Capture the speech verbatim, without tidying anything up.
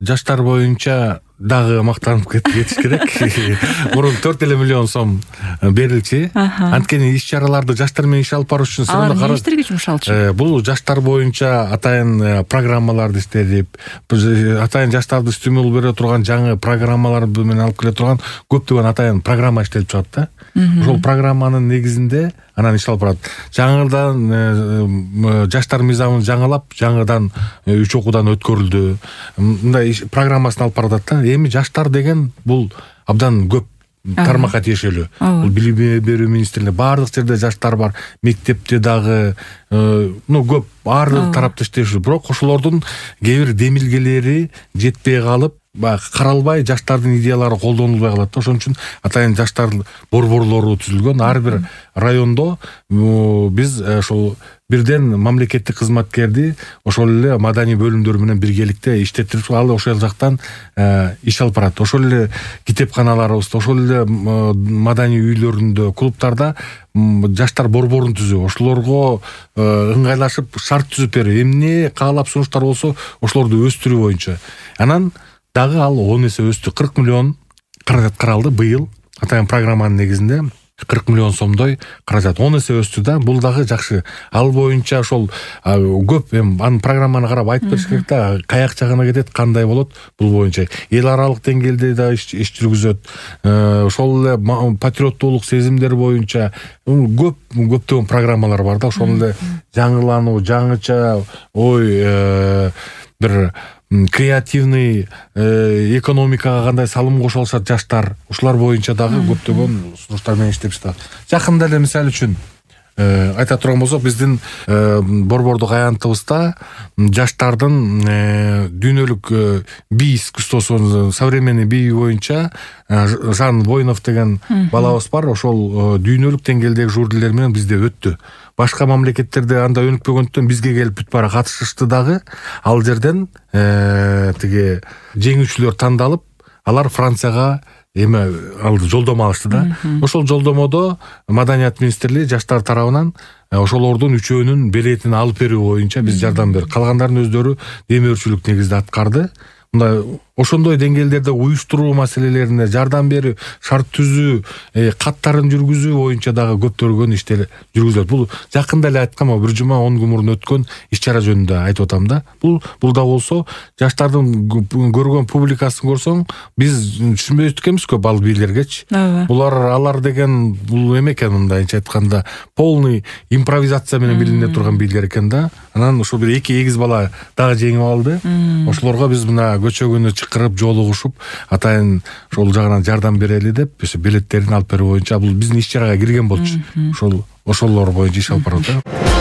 жаштар боюнча дагы мактанып кетиш керек. Мурун төрт эле миллион сом берилчү. Анткени иш-чараларды жаштар менен иш алып барыш үчүн алар эмне иштерге жумшалчу? Бул жаштар боюнча атайын программаларды иштедип, атайын жаштарды стимул бере турган жаңы программалар менен алып келе турган көптөгөн атайын программа иштелип чыгат да. Ошол программанын негизинде анан иш алып барат. Жаңыдан жаштар мыйзамын жаңылап, жаңыдан үч окуудан өткөрүлдү. Мындай программасын алып баратат да. Эми жаштар деген бул абдан көп тармакка тиешелүү. Бул билим берүү министрлиги баардык жерде жаштар бар, мектепте дагы, ну көп баардык тарапта иштешүү. Бирок ошолордун кээ бир демилгелери жетпей калып, каралбай, жаштардын идеялары колдонулбай калат да. Ошон үчүн атайын жаштар борборлору түзүлгөн. Ар бир райондо биз ошол бирден мамлекеттик кызматкерди ошол эле маданий бөлүмдөр менен биргеликте иштетип, ал ошол жактан иш алып барат. Ошол эле китепканаларыбызда, ошол эле маданий үйлөрүндө, клубтарда жаштар борборун түзүп, ошолорго ыңгайлашып шарт түзүп берип, эмне каалап сунуштар болсо ошолорду өстүрүү боюнча. Анан дагы ал он эсе өстү. кырк миллион каражат каралды быйыл. Атайын программанын негизинде кырк миллион сомдой каражат он эсе өстү да. Бул дагы жакшы. Ал боюнча ошол көп эми анын программаны карап айтып бериш керек да, каяк жагына кетет, кандай болот бул боюнча. Эл аралык деңгээлде да иш жүргүзөт. Ошол эле патриоттуулук сезимдер боюнча көп көптөгөн программалар бар да. Ошол эле жаңылануу, жаңыча ой, бир креативный экономикага кандай салым кошо алышат жаштар, ушулар боюнча дагы көптөгөн сунуштар менен иштеп жатат. Жакында эле мисалы үчүн айта турган болсок, биздин борбордук аянтыбызда жаштардын дүйнөлүк бий искусствосу, современный бий боюнча Жан Воинов деген балабыз бар. Ошол дүйнөлүк деңгээлдеги жюрилер менен бизде өттү. Башка мамлекеттерде анда өнүкпөгөндөн бизге келип бүт бара катышышты дагы. Ал жерден тиги жеңүүчүлөр тандалып, алар Францияга эме алды, жолдомо алышты да. Ошол жолдомодо Маданият министрлиги жаштар тарабынан ошолордун үчөөнүн билетин алып берүү боюнча биз жардам бердик. Калгандардын өздөрү демөөрчүлүк негизде аткарды. Мындай ошондой деңгээлдерде уюштуруу маселелерине жардам берүү, шарт түзүү, каттарын жүргүзүү боюнча дагы көптөгөн иштер жүргүзүлөт. Бул жакында эле айткам, бир жума он күн мурун өткөн иш-чара жөнүндө айтып атам да. Бул бул да болсо жаштардын көргөн публикасын көрсөң, биз түшүнбөй өткөнбүз көп ал бийлергечи. Булар алар деген бул эме экен, мындайча айтканда полный импровизация менен билине турган бийлер экен да. Анан ошо бир эки эгиз бала дагы жеңип алды. Ошолорго биз мына көчөгүнү чакырып жолугушуп, атайын ошол жагынан жардам берели деп, ошо билеттерин алып берүү боюнча бул биздин иш-чарага кирген болчу. Ошол ошолор боюнча иш алып барат.